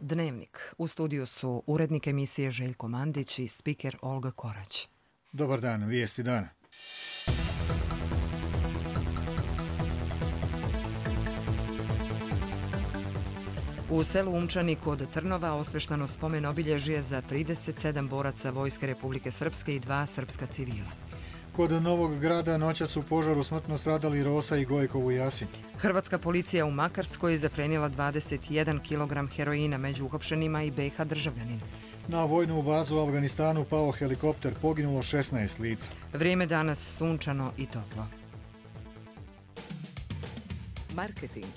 Dnevnik. U studiju su urednik emisije Željko Mandić i spiker Olga Korać. Dobar dan, vijesti dana. U selu Umčani kod Trnova osveštano spomen obilježje za 37 boraca Vojske Republike Srpske i 2 srpska civila. Kod Novog Grada noćas u požaru smrtno stradali Rosa i Gojkov u Jasin. Hrvatska policija u Makarskoj zaplenila 21 kg heroina, među uhapšenima i BiH državljanin. Na vojnu bazu u Afganistanu pao helikopter, poginulo 16 lica. Vrijeme danas sunčano i toplo. Marketing.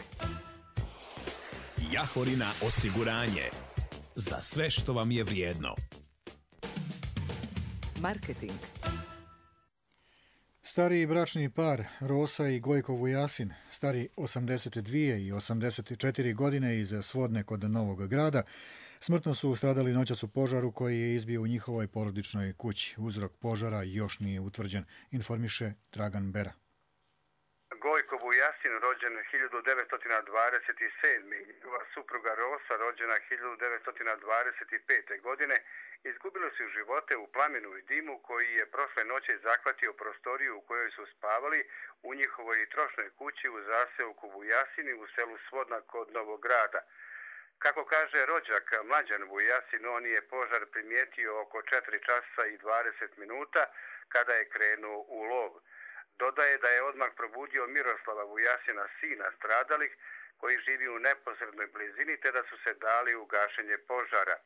Jahorina osiguranje. Za sve što vam je vrijedno. Marketing. Stariji bračni par Rosa i Gojkov u Jasin, stari 82 i 84 godine iz Svodne kod Novog Grada, smrtno su stradali noćas u požaru koji je izbio u njihovoj porodičnoj kući. Uzrok požara još nije utvrđen, informiše Dragan Bera. Gojkov u Jasin, rođen 1927. i njegova supruga Rosa, rođena 1925. godine, izgubili su živote u plamenu i dimu koji je prošle noći zahvatio prostoriju u kojoj su spavali u njihovoj trošnoj kući u zaseoku Vujasini u selu Svodna kod Novog Grada. Kako kaže rođak Mlađan Vujasin, on je požar primijetio oko 4 časa i 20 minuta kada je krenuo u lov. Dodaje da je odmah probudio Miroslava Vujasina, sina stradalih, koji živi u neposrednoj blizini, te da su se dali u gašenje požara.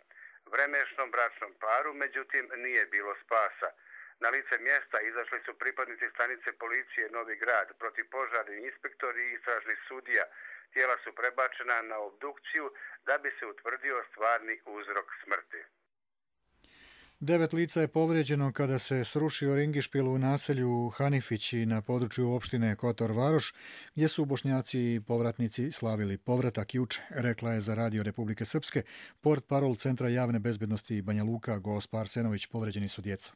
Vremešnom bračnom paru, međutim, nije bilo spasa. Na lice mjesta izašli su pripadnici stanice policije Novi Grad, protivpožarni inspektori i istražni sudija. Tijela su prebačena na obdukciju da bi se utvrdio stvarni uzrok smrti. 9 lica je povrijeđeno kada se srušio ringišpil u naselju Hanifići na području opštine Kotor Varoš, gdje su Bošnjaci i povratnici slavili povratak juče, rekla je za Radio Republike Srpske portparol Centra javne bezbednosti Banja Luka Gospa Arsenović. Povrijeđeni su djeca.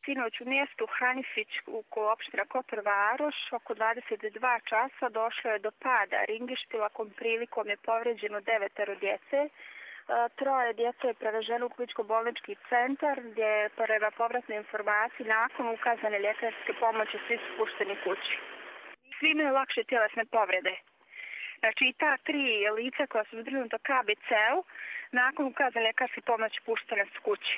Sinoć u mjestu Hanifić u opština Kotor Varoš oko 22 časa došlo je do pada ringišpila, kom prilikom je povrijeđeno 9 djece. 3 djece je preveženo u kliničko-bolnički centar gdje je prema povratnoj informaciji nakon ukazane ljekarske pomoći svi su pušteni kući. Svi imaju lakše tjelesne povrede. Znači i ta 3 lica koja su zbrinuta KBC-u nakon ukazane ljekarske pomoći puštene su kući.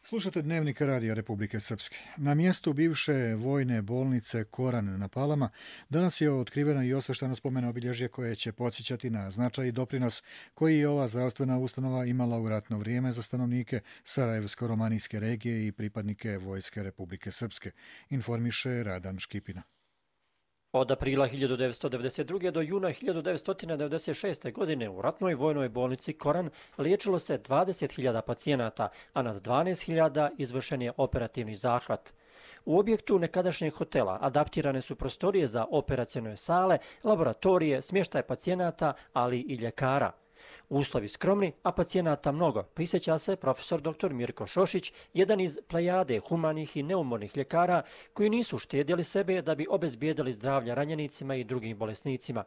Slušate Dnevnik Radija Republike Srpske. Na mjestu bivše vojne bolnice Koran na Palama danas je otkriveno i osveštano spomen obilježje koje će podsjećati na značaj i doprinos koji je ova zdravstvena ustanova imala u ratno vrijeme za stanovnike Sarajevsko-romanijske regije i pripadnike Vojske Republike Srpske, informiše Radan Škipina. Od aprila 1992. do juna 1996. godine u ratnoj vojnoj bolnici Koran liječilo se 20.000 pacijenata, a nad 12.000 izvršen je operativni zahvat. U objektu nekadašnjeg hotela adaptirane su prostorije za operacione sale, laboratorije, smještaj pacijenata, ali i ljekara. Uslovi skromni, a pacijenata mnogo, prisjeća se profesor dr. Mirko Šošić, jedan iz plejade humanih i neumornih ljekara koji nisu štedjeli sebe da bi obezbijedili zdravlja ranjenicima i drugim bolesnicima.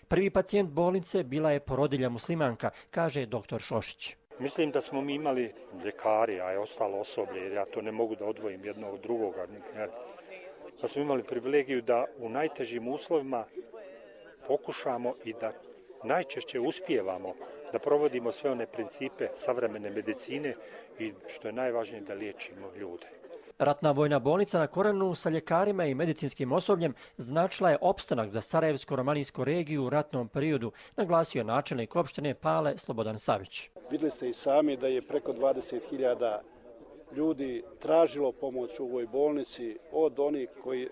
Prvi pacijent bolnice bila je porodilja muslimanka, kaže dr. Šošić. Mislim da smo mi imali ljekari, a je ostalo osoblje, jer ja to ne mogu da odvojim jedno od drugoga. Da smo imali privilegiju da u najtežim uslovima pokušamo i da najčešće uspijevamo da provodimo sve one principe savremene medicine i što je najvažnije da liječimo ljude. Ratna vojna bolnica na Koranu sa ljekarima i medicinskim osobljem značila je opstanak za Sarajevsko-romanijsku regiju u ratnom periodu, naglasio načelnik opštine Pale Slobodan Savić. Vidjeli ste i sami da je preko 20.000 ljudi tražilo pomoć u ovoj bolnici,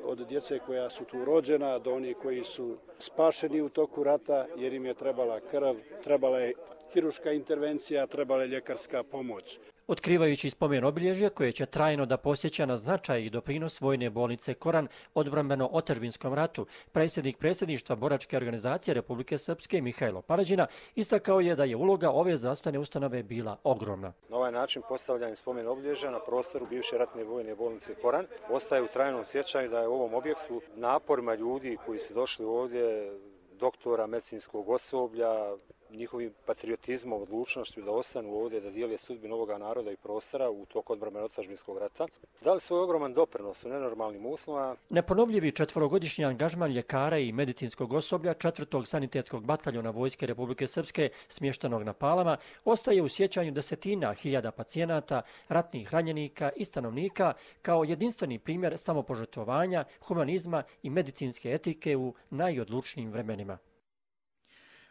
od djece koja su tu rođena do onih koji su spašeni u toku rata jer im je trebala krv, trebala je hirurška intervencija, trebala je ljekarska pomoć. Otkrivajući spomen obilježja koje će trajno da posjeća na značaj i doprinos vojne bolnice Koran odbrambeno-otadžbinskom ratu, predsjednik predsjedništva boračke organizacije Republike Srpske Mihajlo Parađina istakao je da je uloga ove zdravstvene ustanove bila ogromna. Na ovaj način postavljanje spomen obilježja na prostoru bivše ratne vojne bolnice Koran ostaje u trajnom sjećanju da je u ovom objektu naporima ljudi koji su došli ovdje, doktora, medicinskog osoblja, njihovim patriotizmom, odlučnošću da ostanu ovdje, da dijele sudbinu ovoga naroda i prostora u toku odbrambeno-otadžbinskog rata, dali svoj ogroman doprinos u nenormalnim uslovima. Neponovljivi 4-godišnji angažman ljekara i medicinskog osoblja 4. sanitetskog bataljona Vojske Republike Srpske smještenog na Palama ostaje u sjećanju desetina hiljada pacijenata, ratnih ranjenika i stanovnika kao jedinstveni primjer samopožrtvovanja, humanizma i medicinske etike u najodlučnijim vremenima.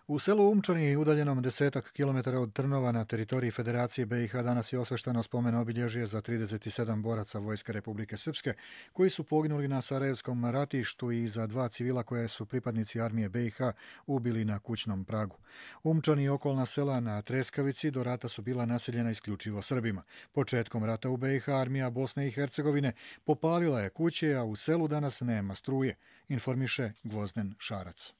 U selu Umčani, udaljenom 10 kilometara od Trnova na teritoriji Federacije BiH, danas je osvešteno spomen obilježje za 37 boraca Vojske Republike Srpske koji su poginuli na Sarajevskom ratištu i za 2 civila koje su pripadnici armije BiH ubili na kućnom pragu. Umčani i okolna sela na Treskavici do rata su bila naseljena isključivo Srbima. Početkom rata u BiH armija Bosne i Hercegovine popalila je kuće, a u selu danas nema struje, informiše Gvozden Šarac.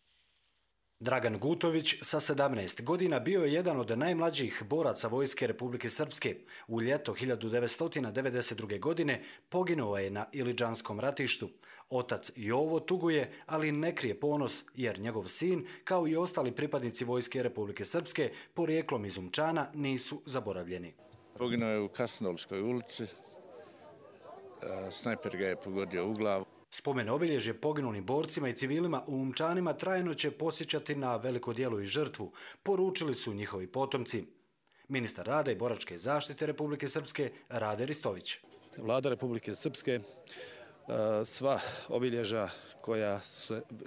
Dragan Gutović sa 17 godina bio je jedan od najmlađih boraca Vojske Republike Srpske. U ljeto 1992. godine poginuo je na Ilidžanskom ratištu. Otac Jovo tuguje, ali ne krije ponos, jer njegov sin, kao i ostali pripadnici Vojske Republike Srpske, porijeklom iz Umčana, nisu zaboravljeni. Poginuo je u Kasnolskoj ulici, snajper ga je pogodio u glavu. Spomen obilježje poginulim borcima i civilima u Umčanima trajno će posjećati na veliko djelo i žrtvu, poručili su njihovi potomci. Ministar rada i boračke zaštite Republike Srpske Rade Ristović. Vlada Republike Srpske sva obilježja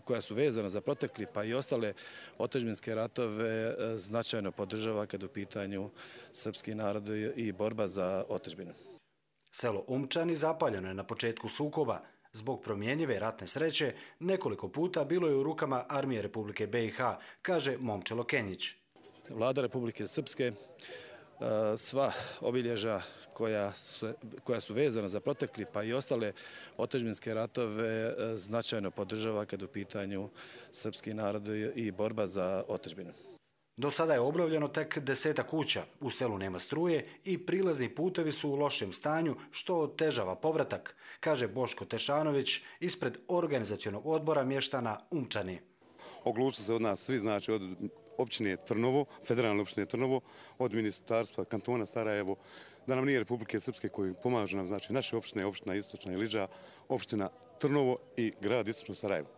koja su vezana za protekli pa i ostale otadžbinske ratove značajno podržava kad u pitanju srpski narod i borba za otadžbinu. Selo Umčani zapaljeno je na početku sukoba. Zbog promjenjive ratne sreće, nekoliko puta bilo je u rukama armije Republike BiH, kaže Momčilo Kenjić. Vlada Republike Srpske sva obilježja koja su vezana za protekli pa i ostale otadžbinske ratove značajno podržava kad u pitanju srpski narod i borba za otadžbinu. Do sada je obnovljeno tek 10 kuća, u selu nema struje i prilazni putevi su u lošem stanju, što otežava povratak, kaže Boško Tešanović ispred organizacionog odbora mještana Umčani. Oglučili se od nas svi, znači od općine Trnovo, federalne općine Trnovo, od ministarstva kantona Sarajevo, da nam nije Republike Srpske koji pomažu nam, znači naše opštine, opština Istočna Ilidža, opština Trnovo i grad Istočno Sarajevo.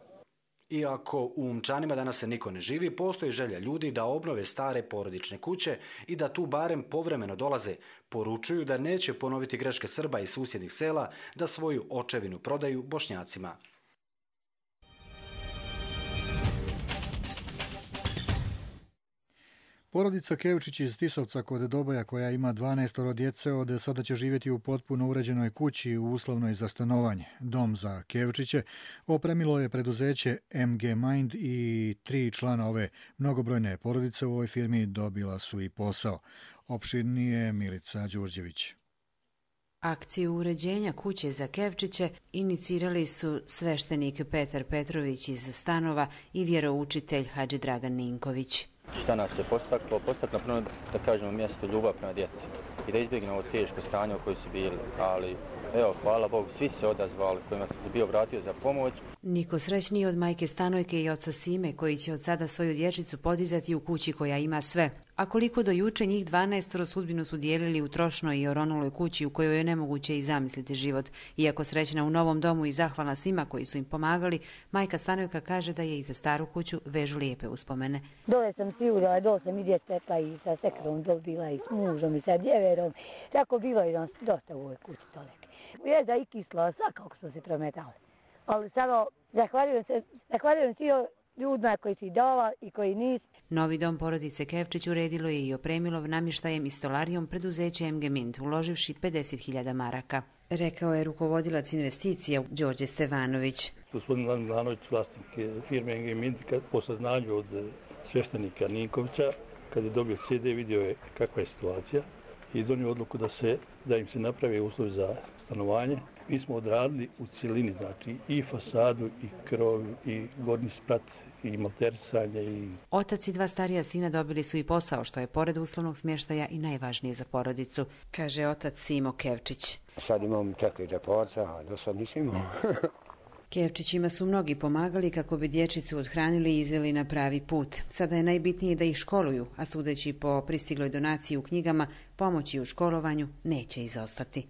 Iako u Umčanima danas se niko ne živi, postoji želja ljudi da obnove stare porodične kuće i da tu barem povremeno dolaze. Poručuju da neće ponoviti greške Srba iz susjednih sela da svoju očevinu prodaju Bošnjacima. Porodica Kevčić iz Tisovca kod Doboja, koja ima 12 djece, od sada će živjeti u potpuno uređenoj kući u uslovnoj za stanovanje. Dom za Kevčiće opremilo je preduzeće MG Mind i 3 člana ove mnogobrojne porodice u ovoj firmi dobila su i posao. Opširnije Milica Đurđević. Akciju uređenja kuće za Kevčiće inicirali su sveštenik Petar Petrović iz Stanova i vjeroučitelj Hadži Dragan Ninković. Šta nas je postaklo? Postaklo prvo da kažemo mjesto ljubav prema djeci i da izbjegnemo ovo teško stanje u kojoj su bili, ali evo, hvala Bogu, svi se odazvali kojima se bio obratio za pomoć. Niko srećniji od majke Stanojke i oca Sime, koji će od sada svoju dječicu podizati u kući koja ima sve. A koliko do juče, njih 12 sudbinu su dijelili u trošnoj i oronuloj kući u kojoj je nemoguće i zamisliti život. Iako srećna u novom domu i zahvalna svima koji su im pomagali, majka Stanojka kaže da je i za staru kuću vežu lijepe uspomene. Dole sam si udala, dole sam i djetepa i sa sekrom dole bila i s mužom i sa djeverom. Tako bilo je dosta u ovoj kući tolike. Jeda i kisla, svakako su se prometali. Ali samo zahvaljujem svi ljudima koji si dala i koji nisu. Novi dom porodice Kevčić uredilo je i opremilo namještajem i stolarijom preduzeće MG Mint, uloživši 50.000 maraka. Rekao je rukovodilac investicija Đorđe Stevanović. Gospodin Milanović, vlasnik firme MG Mint, po saznanju od sveštenika Ninkovića, kad je dobio CD, vidio je kakva je situacija i donio odluku da im se napravi uslovi za stanovanje. Mi smo odradili u cijelini, znači i fasadu, i krov, i gornji sprat, i malterisanje. Otac i 2 starija sina dobili su i posao, što je pored uslovnog smještaja i najvažnije za porodicu, kaže otac Simo Kevčić. Sad imam 4 džeporca, a do sad nisam imao. Kevčićima su mnogi pomagali kako bi dječicu odhranili i izveli na pravi put. Sada je najbitnije da ih školuju, a sudeći po pristigloj donaciji u knjigama, pomoći u školovanju neće izostati.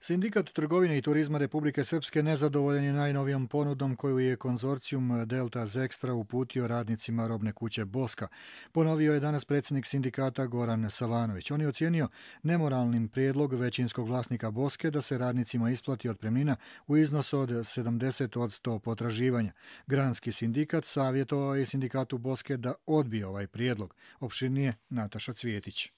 Sindikat trgovine i turizma Republike Srpske nezadovoljan je najnovijom ponudom koju je konzorcijum Delta Zextra uputio radnicima robne kuće Boska. Ponovio je danas predsjednik sindikata Goran Savanović. On je ocijenio nemoralnim prijedlog većinskog vlasnika Boske da se radnicima isplati otpremnina u iznosu od 70% potraživanja. Granski sindikat savjetovao je sindikatu Boske da odbije ovaj prijedlog. Opširnije Nataša Cvjetić.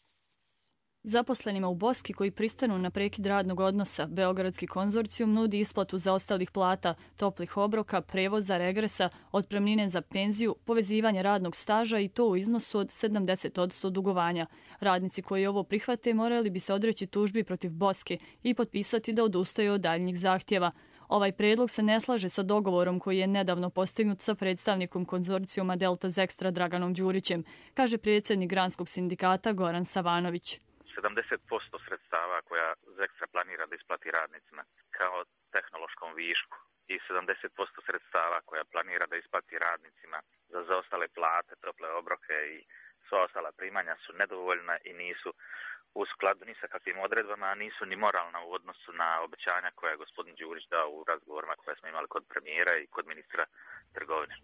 Zaposlenima u Boski koji pristanu na prekid radnog odnosa, Beogradski konzorcijum nudi isplatu zaostalih plata, toplih obroka, prevoza, regresa, otpremnine za penziju, povezivanje radnog staža i to u iznosu od 70% dugovanja. Radnici koji ovo prihvate morali bi se odreći tužbi protiv Boske i potpisati da odustaju od daljnjih zahtjeva. Ovaj predlog se ne slaže sa dogovorom koji je nedavno postignut sa predstavnikom konzorcijuma Delta Zextra Draganom Đurićem, kaže predsjednik Granskog sindikata Goran Savanović. 70% sredstava koja Zextra planira da isplati radnicima kao tehnološkom višku i 70% sredstava koja planira da isplati radnicima za zaostale plate, tople obroke i sva ostala primanja su nedovoljna i nisu u skladu ni sa kakvim odredbama, a nisu ni moralna u odnosu na obećanja koje je gospodin Đurić dao u razgovorima koje smo imali kod premijera i kod ministra trgovine.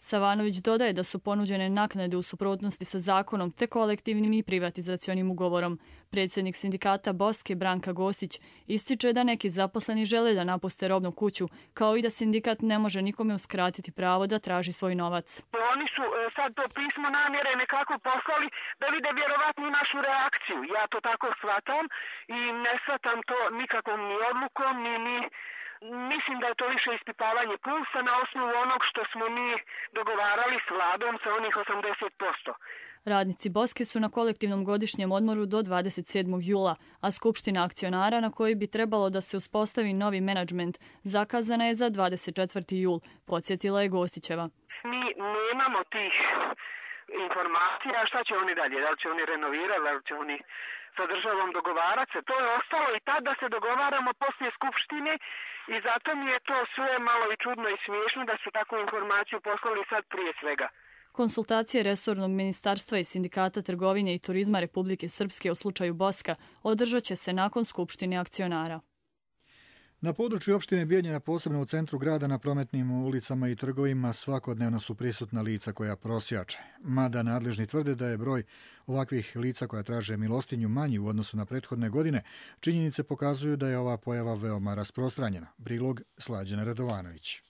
Savanović dodaje da su ponuđene naknade u suprotnosti sa zakonom te kolektivnim i privatizacionim ugovorom. Predsjednik sindikata Boske Branka Gostić ističe da neki zaposleni žele da napuste robnu kuću, kao i da sindikat ne može nikome uskratiti pravo da traži svoj novac. Oni su sad to pismo namjere nekako poslali da vide vjerovatno našu reakciju. Ja to tako shvatam i ne shvatam to nikakvom ni odlukom, ni mislim da je to više ispitavanje pulsa na osnovu onog što smo mi dogovarali s vladom sa onih 80%. Radnici Boske su na kolektivnom godišnjem odmoru do 27. jula, a skupština akcionara na kojoj bi trebalo da se uspostavi novi menadžment zakazana je za 24. jul, podsjetila je Gostićeva. Mi nemamo tih informacija, šta će oni dalje, da li će oni renovirati, da li će oni sa državom dogovarati se. To je ostalo i tad da se dogovaramo poslije skupštine i zato mi je to sve malo i čudno i smiješno da su takvu informaciju poslali sad prije svega. Konsultacije resornog ministarstva i sindikata trgovine i turizma Republike Srpske o slučaju Boska održat će se nakon skupštine akcionara. Na području opštine Bijeljina, posebno u centru grada, na prometnim ulicama i trgovima svakodnevno su prisutna lica koja prosjače. Mada nadležni tvrde da je broj ovakvih lica koja traže milostinju manji u odnosu na prethodne godine, činjenice pokazuju da je ova pojava veoma rasprostranjena. Prilog Slađana Radovanović.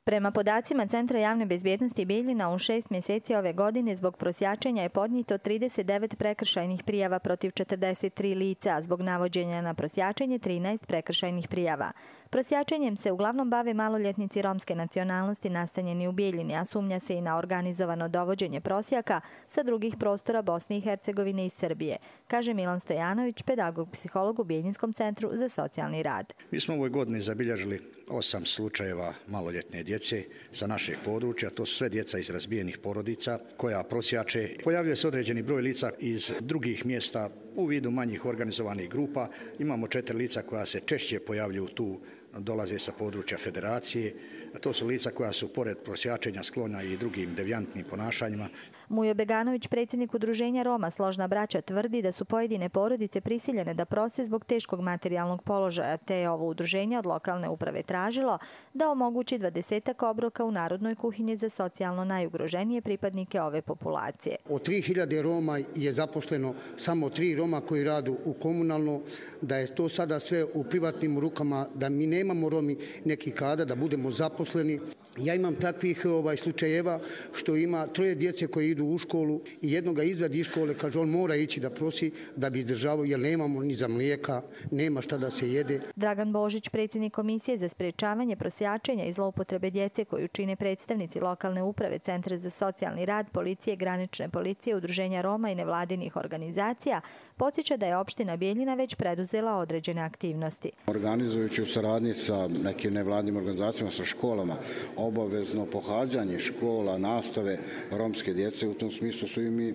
Prema podacima Centra javne bezbjednosti Bijeljina, u 6 mjeseci ove godine zbog prosjačenja je podnijeto 39 prekršajnih prijava protiv 43 lica, a zbog navođenja na prosjačenje 13 prekršajnih prijava. Prosjačenjem se uglavnom bave maloljetnici romske nacionalnosti nastanjeni u Bijeljini, a sumnja se i na organizovano dovođenje prosjaka sa drugih prostora Bosne i Hercegovine i Srbije, kaže Milan Stojanović, pedagog-psiholog u Bijeljinskom centru za socijalni rad. Mi smo u ovoj godini zabilježili 8 slučajeva maloljetne djece sa našeg područja. To su sve djeca iz razbijenih porodica koja prosjače. Pojavljuje se određeni broj lica iz drugih mjesta u vidu manjih organizovanih grupa. Imamo 4 lica koja se češće pojavljuju tu, dolaze sa područja federacije. To su lica koja su pored prosjačenja sklona i drugim devijantnim ponašanjima. Mujo Beganović, predsjednik udruženja Roma Složna braća, tvrdi da su pojedine porodice prisiljene da prose zbog teškog materijalnog položaja, te je ovo udruženje od lokalne uprave tražilo da omogući 20 obroka u Narodnoj kuhinji za socijalno najugroženije pripadnike ove populacije. Od 3000 Roma je zaposleno samo 3 Roma koji radu u komunalno, da je to sada sve u privatnim rukama, da mi nemamo Romi neki kada da budemo zaposleni. Ja imam takvih slučajeva što ima 3 djece koji idu u školu i jednoga izvadi iz škole, kaže on mora ići da prosi da bi izdržavao jer nemamo ni za mlijeka, nema šta da se jede. Dragan Božić, predsjednik Komisije za sprečavanje prosjačenja i zloupotrebe djece koju čine predstavnici lokalne uprave, Centra za socijalni rad, policije, granične policije, udruženja Roma i nevladinih organizacija, podsjeća da je opština Bijeljina već preduzela određene aktivnosti. Organizujući u saradnji sa nekim nevladinim organizacijama, sa školama, školama, obavezno pohađanje škola, nastave romske djece. U tom smislu su i mi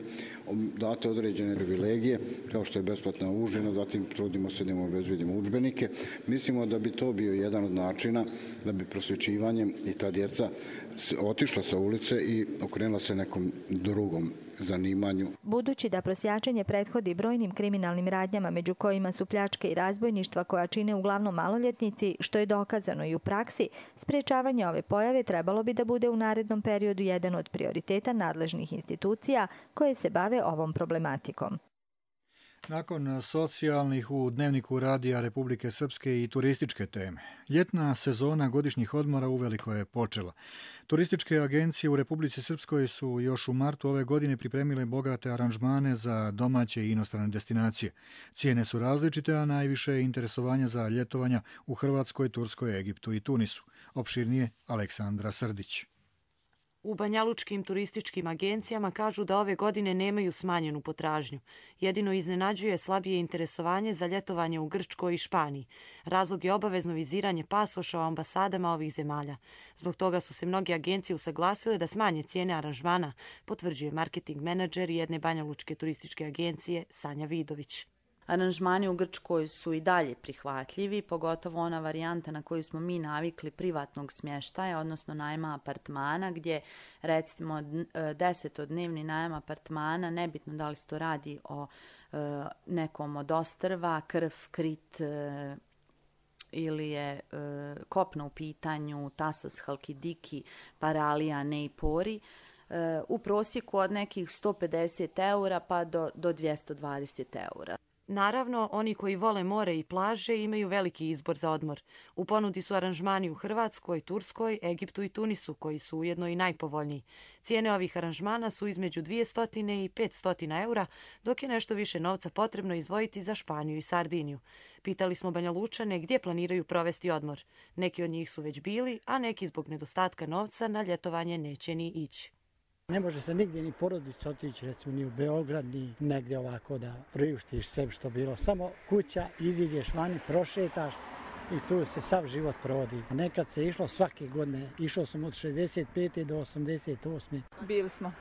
date određene privilegije, kao što je besplatna užina, zatim trudimo se da im obezbedimo udžbenike. Mislimo da bi to bio jedan od načina da bi prosvećivanjem i ta djeca otišla sa ulice i okrenula se nekom drugom zanimanju. Budući da prosjačenje prethodi brojnim kriminalnim radnjama, među kojima su pljačke i razbojništva koja čine uglavnom maloljetnici, što je dokazano i u praksi, sprečavanje ove pojave trebalo bi da bude u narednom periodu jedan od prioriteta nadležnih institucija koje se bave ovom problematikom. Nakon socijalnih u Dnevniku radija Republike Srpske i turističke teme, ljetna sezona godišnjih odmora uveliko je počela. Turističke agencije u Republici Srpskoj su još u martu ove godine pripremile bogate aranžmane za domaće i inostrane destinacije. Cijene su različite, a najviše je interesovanja za ljetovanja u Hrvatskoj, Turskoj, Egiptu i Tunisu. Opširnije Aleksandra Srdić. U banjalučkim turističkim agencijama kažu da ove godine nemaju smanjenu potražnju. Jedino iznenađuje slabije interesovanje za ljetovanje u Grčkoj i Španiji. Razlog je obavezno viziranje pasoša u ambasadama ovih zemalja. Zbog toga su se mnoge agencije usaglasile da smanje cijene aranžmana, potvrđuje marketing menadžer jedne banjalučke turističke agencije Sanja Vidović. Aranžmani u Grčkoj su i dalje prihvatljivi, pogotovo ona varijanta na koju smo mi navikli privatnog smještaja, odnosno najma apartmana, gdje recimo 10-dnevni najam apartmana, nebitno da li se to radi o nekom od ostrva, Krf, Krit ili je kopno u pitanju, Tasos, Halkidiki, Paralija, Neipori, u prosjeku od nekih 150 eura pa do 220 eura. Naravno, oni koji vole more i plaže imaju veliki izbor za odmor. U ponudi su aranžmani u Hrvatskoj, Turskoj, Egiptu i Tunisu, koji su ujedno i najpovoljniji. Cijene ovih aranžmana su između 200 i 500 eura, dok je nešto više novca potrebno izdvojiti za Španiju i Sardiniju. Pitali smo Banjalučane gdje planiraju provesti odmor. Neki od njih su već bili, a neki zbog nedostatka novca na ljetovanje neće ni ići. Ne može se nigdje ni porodica otići, recimo ni u Beograd, ni negdje ovako da priuštiš sebi što bilo. Samo kuća, iziđeš vani, prošetaš i tu se sav život provodi. Nekad se išlo svake godine, išao sam od 65. do 88. Bili smo.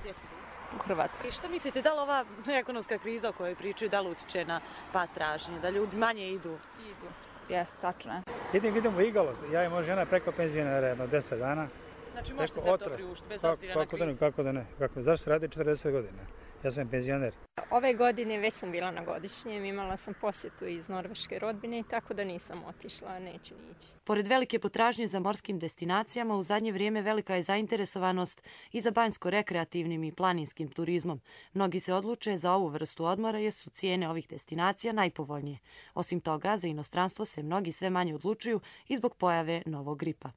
Gdje ste bili? U Hrvatskoj. I što mislite, da li ova ekonomska kriza o kojoj pričaju, da li utiče na pad tražnje, da ljudi manje idu? Idu, jeste, tačno je. Idemo u Igalo, ja i moja žena preko penzionera jedno 10 dana. Znači možete se to priuštiti, bez obzira na krizu? Kako da ne? Zašto se radi 40 godina? Ja sam penzioner. Ove godine već sam bila na godišnjem, imala sam posjetu iz norveške rodbine, tako da nisam otišla, neću ni ići. Pored velike potražnje za morskim destinacijama, u zadnje vrijeme velika je zainteresovanost i za banjsko-rekreativnim i planinskim turizmom. Mnogi se odluče za ovu vrstu odmora jer su cijene ovih destinacija najpovoljnije. Osim toga, za inostranstvo se mnogi sve manje odlučuju i zbog pojave novog gripa.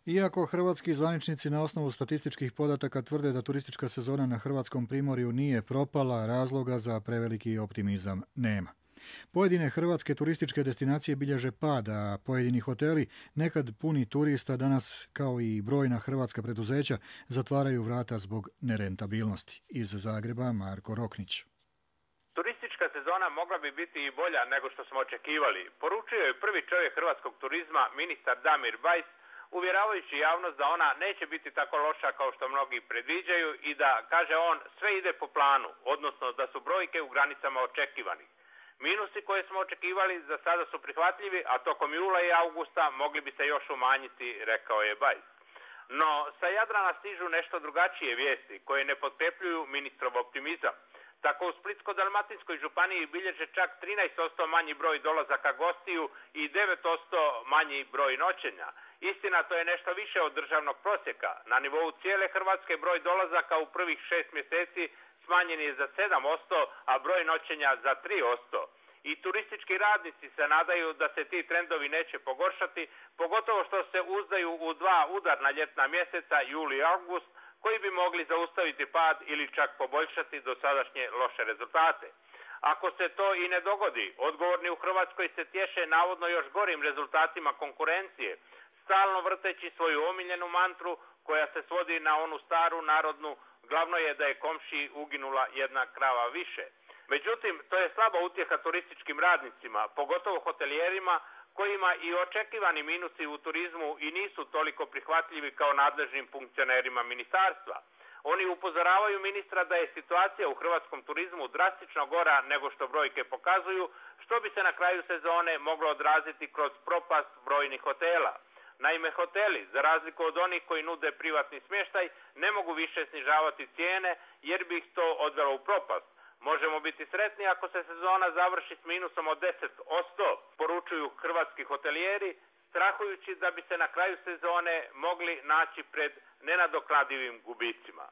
Iako hrvatski zvaničnici na osnovu statističkih podataka tvrde da turistička sezona na hrvatskom primorju nije propala, razloga za preveliki optimizam nema. Pojedine hrvatske turističke destinacije bilježe pad, a pojedini hoteli, nekad puni turista, danas kao i brojna hrvatska preduzeća, zatvaraju vrata zbog nerentabilnosti. Iz Zagreba Marko Roknić. Turistička sezona mogla bi biti i bolja nego što smo očekivali. Poručio je prvi čovjek hrvatskog turizma, ministar Damir Bajs, uvjeravajući javnost da ona neće biti tako loša kao što mnogi predviđaju i da, kaže on, sve ide po planu, odnosno da su brojke u granicama očekivanih. Minusi koje smo očekivali za sada su prihvatljivi, a tokom jula i augusta mogli bi se još umanjiti, rekao je Bajs. No, sa Jadrana stižu nešto drugačije vijesti koje ne potkrepljuju ministrov optimizam. Tako u Splitsko-dalmatinskoj županiji bilježe čak 13% manji broj dolazaka gostiju i 9% manji broj noćenja. Istina, to je nešto više od državnog prosjeka. Na nivou cijele Hrvatske broj dolazaka u prvih 6 mjeseci smanjen je za 7%, a broj noćenja za 3%. I turistički radnici se nadaju da se ti trendovi neće pogoršati, pogotovo što se uzdaju u dva udarna ljetna mjeseca, juli i august, koji bi mogli zaustaviti pad ili čak poboljšati dosadašnje loše rezultate. Ako se to i ne dogodi, odgovorni u Hrvatskoj se tješe navodno još gorim rezultatima konkurencije, stalno vrteći svoju omiljenu mantru koja se svodi na onu staru narodnu, glavno je da je komšiji uginula jedna krava više. Međutim, to je slaba utjeha turističkim radnicima, pogotovo hotelijerima kojima i očekivani minusi u turizmu i nisu toliko prihvatljivi kao nadležnim funkcionerima ministarstva. Oni upozoravaju ministra da je situacija u hrvatskom turizmu drastično gora nego što brojke pokazuju, što bi se na kraju sezone moglo odraziti kroz propast brojnih hotela. Naime, hoteli, za razliku od onih koji nude privatni smještaj, ne mogu više snižavati cijene jer bi ih to odvelo u propast. Možemo biti sretni ako se sezona završi s minusom od 10%, poručuju hrvatski hotelijeri, strahujući da bi se na kraju sezone mogli naći pred nenadoknadivim gubicima.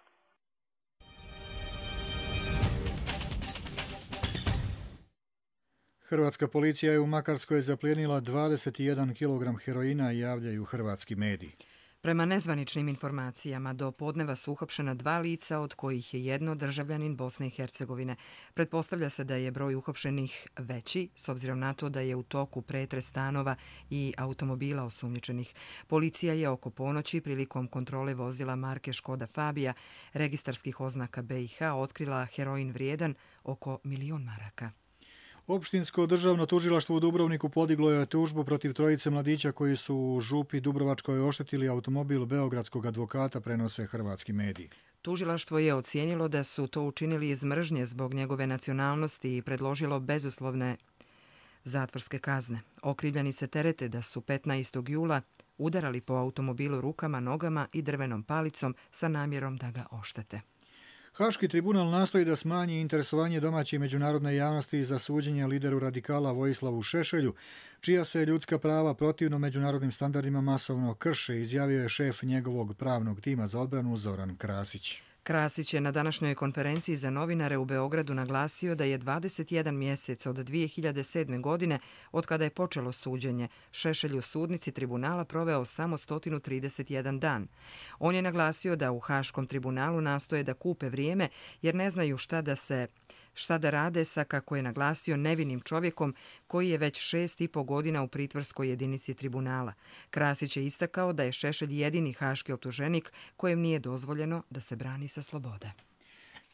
Hrvatska policija je u Makarskoj zaplijenila 21 kg heroina, javljaju hrvatski mediji. Prema nezvaničnim informacijama, do podneva su uhapšena 2 lica, od kojih je jedno državljanin Bosne i Hercegovine. Pretpostavlja se da je broj uhapšenih veći, s obzirom na to da je u toku pretres stanova i automobila osumnjičenih. Policija je oko ponoći prilikom kontrole vozila marke Škoda Fabija registarskih oznaka BiH otkrila heroin vrijedan oko 1.000.000 maraka. Opštinsko državno tužilaštvo u Dubrovniku podiglo je tužbu protiv 3 mladića koji su u Župi Dubrovačkoj oštetili automobil beogradskog advokata, prenose hrvatski mediji. Tužilaštvo je ocijenilo da su to učinili iz mržnje zbog njegove nacionalnosti i predložilo bezuslovne zatvorske kazne. Okrivljeni se terete da su 15. jula udarali po automobilu rukama, nogama i drvenom palicom sa namjerom da ga oštete. Haški tribunal nastoji da smanji interesovanje domaće i međunarodne javnosti za suđenje lideru radikala Vojislavu Šešelju, čija se ljudska prava protivno međunarodnim standardima masovno krše, izjavio je šef njegovog pravnog tima za odbranu Zoran Krasić. Krasić je na današnjoj konferenciji za novinare u Beogradu naglasio da je 21 mjesec od 2007. godine, od kada je počelo suđenje, Šešelj u sudnici tribunala proveo samo 131 dan. On je naglasio da u Haškom tribunalu nastoje da kupe vrijeme jer ne znaju šta da rade sa, kako je naglasio, nevinim čovjekom koji je već 6,5 godina u pritvorskoj jedinici tribunala. Krasić je istakao da je Šešelj jedini haški optuženik kojem nije dozvoljeno da se brani sa slobode.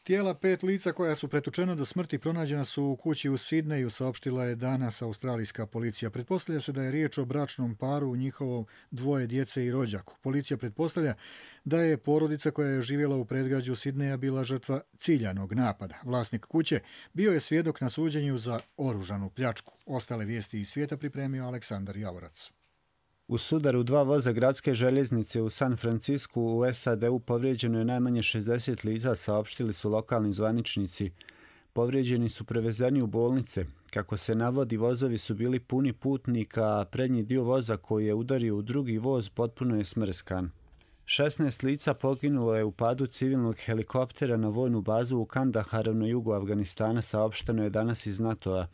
Tijela 5 lica koja su pretučena do smrti pronađena su u kući u Sidneju, saopštila je danas australijska policija. Pretpostavlja se da je riječ o bračnom paru, u njihovom 2 djece i rođaku. Policija pretpostavlja da je porodica koja je živjela u predgrađu Sidneja bila žrtva ciljanog napada. Vlasnik kuće bio je svjedok na suđenju za oružanu pljačku. Ostale vijesti iz svijeta pripremio Aleksandar Javorac. U sudaru 2 voza gradske željeznice u San Francisku u SAD-u povrijeđeno je najmanje 60 lica, saopštili su lokalni zvaničnici. Povrijeđeni su prevezeni u bolnice. Kako se navodi, vozovi su bili puni putnika, a prednji dio voza koji je udario u drugi voz potpuno je smrskan. 16 lica poginulo je u padu civilnog helikoptera na vojnu bazu u Kandaharu na jugu Afganistana, saopšteno je danas iz NATO-a.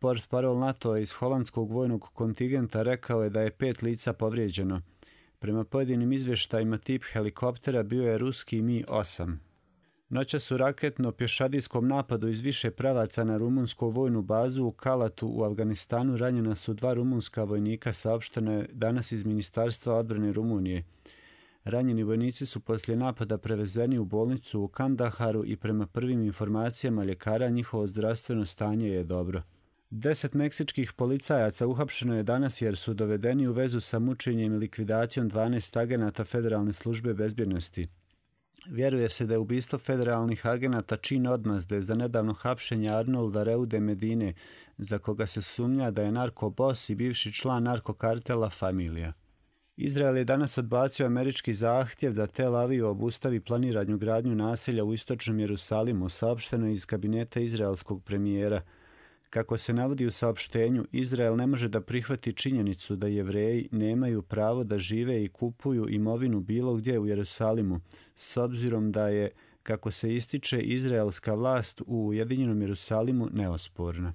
Portparol NATO iz holandskog vojnog kontingenta rekao je da je 5 lica povrijeđeno. Prema pojedinim izvještajima tip helikoptera bio je ruski Mi-8. Noćas u raketno-pješadijskom napadu iz više pravaca na rumunsku vojnu bazu u Kalatu u Afganistanu ranjena su 2 rumunska vojnika, saopšteno je danas iz Ministarstva odbrane Rumunije. Ranjeni vojnici su poslije napada prevezeni u bolnicu u Kandaharu i prema prvim informacijama ljekara njihovo zdravstveno stanje je dobro. 10 meksičkih policajaca uhapšeno je danas jer su dovedeni u vezu sa mučenjem i likvidacijom 12 agenata Federalne službe bezbjednosti. Vjeruje se da je ubistvo federalnih agenata čin odmazde za nedavno hapšenje Arnolda Reude Medine, za koga se sumnja da je narkobos i bivši član narkokartela Familija. Izrael je danas odbacio američki zahtjev da Tel Aviv obustavi planiranju gradnju naselja u istočnom Jerusalimu, saopšteno iz kabineta izraelskog premijera. Kako se navodi u saopštenju, Izrael ne može da prihvati činjenicu da Jevreji nemaju pravo da žive i kupuju imovinu bilo gdje u Jerusalimu, s obzirom da je, kako se ističe, izraelska vlast u Ujedinjenom Jerusalimu neosporna.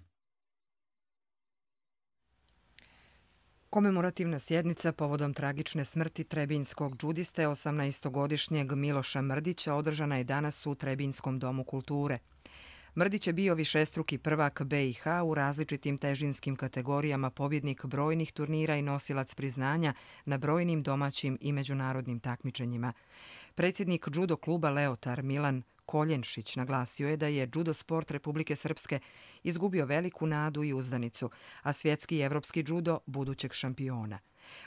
Komemorativna sjednica povodom tragične smrti trebinjskog džudiste 18-godišnjeg Miloša Mrdića održana je danas u Trebinjskom domu kulture. Mrdić je bio višestruki prvak BiH u različitim težinskim kategorijama, pobjednik brojnih turnira i nosilac priznanja na brojnim domaćim i međunarodnim takmičenjima. Predsjednik judo kluba Leotar Milan Koljenšić naglasio je da je judo sport Republike Srpske izgubio veliku nadu i uzdanicu, a svjetski i evropski judo budućeg šampiona.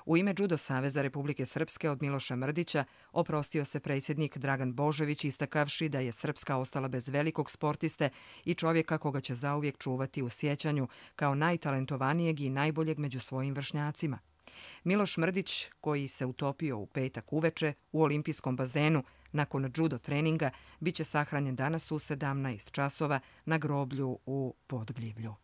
U ime Judo Saveza Republike Srpske od Miloša Mrdića oprostio se predsjednik Dragan Božović, istakavši da je Srpska ostala bez velikog sportiste i čovjeka koga će zauvijek čuvati u sjećanju kao najtalentovanijeg i najboljeg među svojim vršnjacima. Miloš Mrdić, koji se utopio u petak uveče u olimpijskom bazenu nakon judo treninga, bit će sahranjen danas u 17 časova na groblju u Podgljivlju.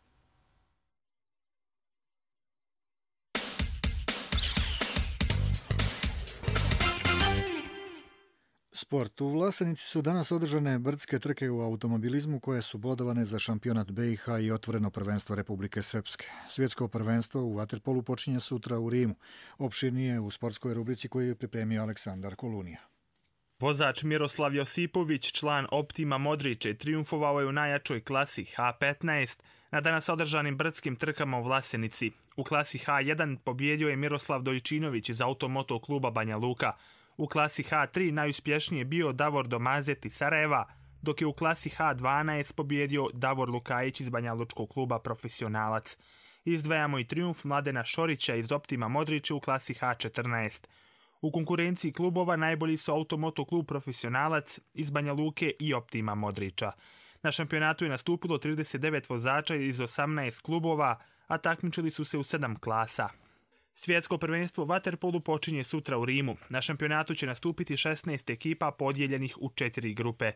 Sport. U Vlasenici su danas održane brdske trke u automobilizmu koje su bodovane za šampionat BiH i otvoreno prvenstvo Republike Srpske. Svjetsko prvenstvo u vaterpolu počinje sutra u Rimu. Opširnije u sportskoj rubrici koju je pripremio Aleksandar Kolunija. Vozač Miroslav Josipović, član Optima Modriće, triumfovao je u najjačoj klasi H15 na danas održanim brdskim trkama u Vlasenici. U klasi H1 pobjedio je Miroslav Dojčinović iz Automoto kluba Banja Luka. U klasi H3 najuspješniji je bio Davor Domazet iz Sarajeva, dok je u klasi H12 pobjedio Davor Lukajić iz Banja Lučkog kluba Profesionalac. Izdvajamo i triumf Mladena Šorića iz Optima Modrića u klasi H14. U konkurenciji klubova najbolji su Automoto klub Profesionalac iz Banja Luke i Optima Modrića. Na šampionatu je nastupilo 39 vozača iz 18 klubova, a takmičili su se u 7 klasa. Svjetsko prvenstvo vaterpolu počinje sutra u Rimu. Na šampionatu će nastupiti 16 ekipa podijeljenih u 4 grupe.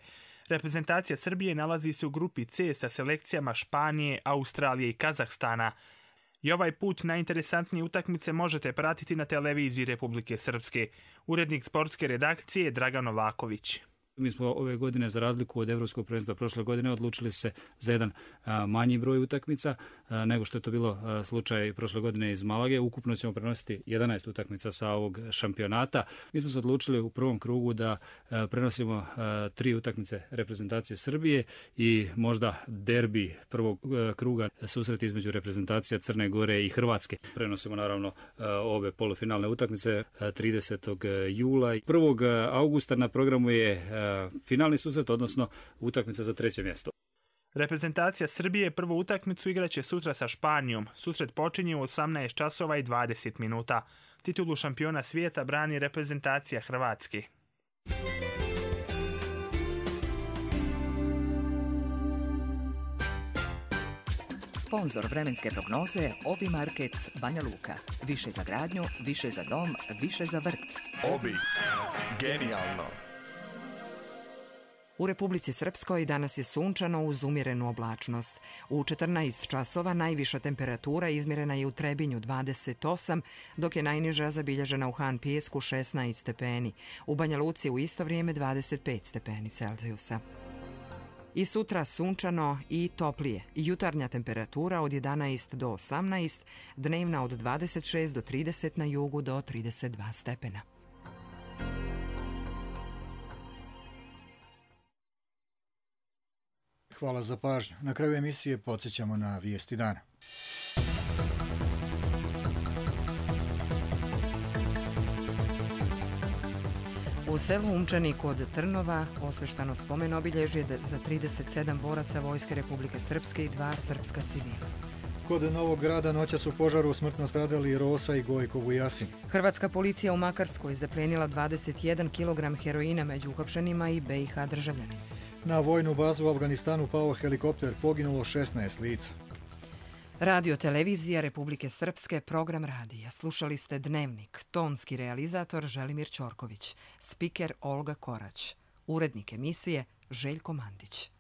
Reprezentacija Srbije nalazi se u grupi C sa selekcijama Španije, Australije i Kazahstana. I ovaj put najinteresantnije utakmice možete pratiti na televiziji Republike Srpske. Urednik sportske redakcije Dragan Novaković. Mi smo ove godine, za razliku od Evropskog prvenstva prošle godine, odlučili se za jedan manji broj utakmica nego što je to bilo slučaj prošle godine iz Malage. Ukupno ćemo prenositi 11 utakmica sa ovog šampionata. Mi smo se odlučili u prvom krugu da prenosimo 3 utakmice reprezentacije Srbije i možda derbi prvog kruga, susret između reprezentacija Crne Gore i Hrvatske. Prenosimo naravno ove polufinalne utakmice 30. jula. 1. augusta na programu je finalni susret, odnosno utakmica za 3. mjesto. Reprezentacija Srbije prvu utakmicu igraće sutra sa Španijom. Susret počinje u 18 časova i 20 minuta. Titulu šampiona svijeta brani reprezentacija Hrvatske. Sponzor vremenske prognoze Obi Market Banja Luka. Više za gradnju, više za dom, više za vrt. Obi. Genijalno. U Republici Srpskoj danas je sunčano uz umjerenu oblačnost. U 14 časova najviša temperatura izmjerena je u Trebinju 28, dok je najniža zabilježena u Han Pijesku 16 stepeni. U Banja Luci u isto vrijeme 25 stepeni Celzijusa. I sutra sunčano i toplije. Jutarnja temperatura od 11 do 18, dnevna od 26 do 30 na jugu do 32 stepena. Hvala za pažnju. Na kraju emisije podsjećamo na vijesti dana. U selu Umčani kod Trnova osveštano spomen obilježje za 37 boraca Vojske Republike Srpske i 2 srpska civila. Kod Novog Grada noćas u požaru smrtno stradali Rosa i Gojko Vujasin. Hrvatska policija u Makarskoj zaplenila 21 kg heroina među uhapšenima i BiH državljanima. Na vojnu bazu u Afganistanu pao helikopter, poginulo 16 lica. Radio televizija Republike Srpske, program radija. Slušali ste Dnevnik, tonski realizator Želimir Ćorković, spiker Olga Korać, urednik emisije Željko Mandić.